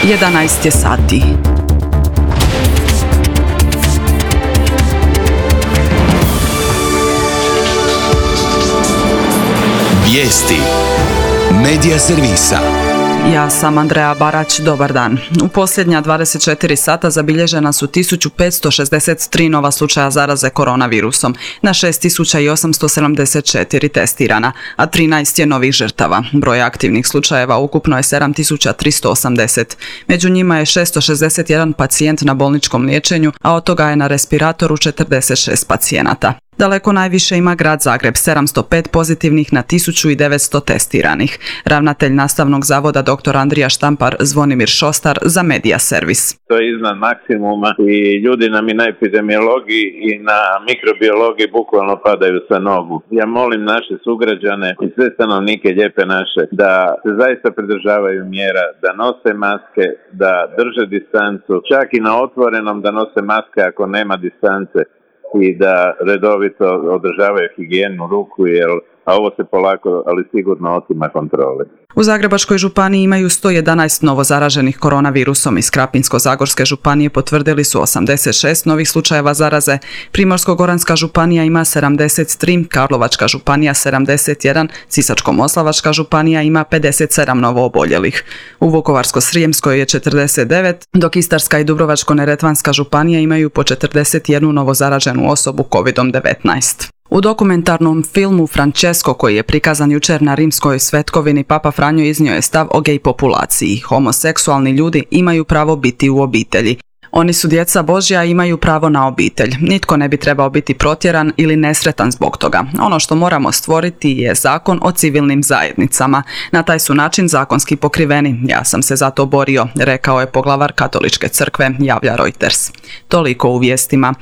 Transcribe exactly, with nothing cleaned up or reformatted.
jedanaest je sati. Vijesti Medija servisa. Ja sam Andreja Barać, dobar dan. U posljednja dvadeset četiri sata zabilježena su tisuću petsto šezdeset tri nova slučaja zaraze koronavirusom, na šest tisuća osamsto sedamdeset četiri testirana, a trinaest je novih žrtava. Broj aktivnih slučajeva ukupno je sedam tisuća tristo osamdeset. Među njima je šesto šezdeset jedan pacijent na bolničkom liječenju, a od toga je na respiratoru četrdeset šest pacijenata. Daleko najviše ima grad Zagreb, sedamsto pet pozitivnih na tisuću devetsto testiranih. Ravnatelj Nastavnog zavoda dr. Andrija Štampar Zvonimir Šostar za Medija servis. To je iznad maksimuma i ljudi nam i na epidemiologiji i na mikrobiologiji bukvalno padaju sa nogu. Ja molim naše sugrađane i sve stanovnike Lijepe naše da se zaista pridržavaju mjera, da nose maske, da drže distancu, čak i na otvorenom da nose maske ako nema distance, i da redovito održavaju higijenu ruku, jer, a ovo se polako, ali sigurno otima kontrole. U Zagrebačkoj županiji imaju sto jedanaest novozaraženih koronavirusom. Iz Krapinsko-zagorske županije potvrdili su osamdeset šest novih slučajeva zaraze, Primorsko-goranska županija ima sedamdeset tri, Karlovačka županija sedamdeset jedan, Sisačko-moslavačka županija ima pedeset sedam novooboljelih. U Vukovarsko-srijemskoj je četrdeset devet, dok Istarska i Dubrovačko-neretvanska županija imaju po četrdeset jednu novozaraženu osobu kovidom devetnaest. U dokumentarnom filmu Francesco, koji je prikazan jučer na Rimskoj svetkovini, Papa Franjo iznio je stav o gej populaciji. Homoseksualni ljudi imaju pravo biti u obitelji. Oni su djeca Božja i imaju pravo na obitelj. Nitko ne bi trebao biti protjeran ili nesretan zbog toga. Ono što moramo stvoriti je zakon o civilnim zajednicama. Na taj su način zakonski pokriveni. Ja sam se za to borio, rekao je poglavar Katoličke crkve, javlja Reuters. Toliko u vijestima.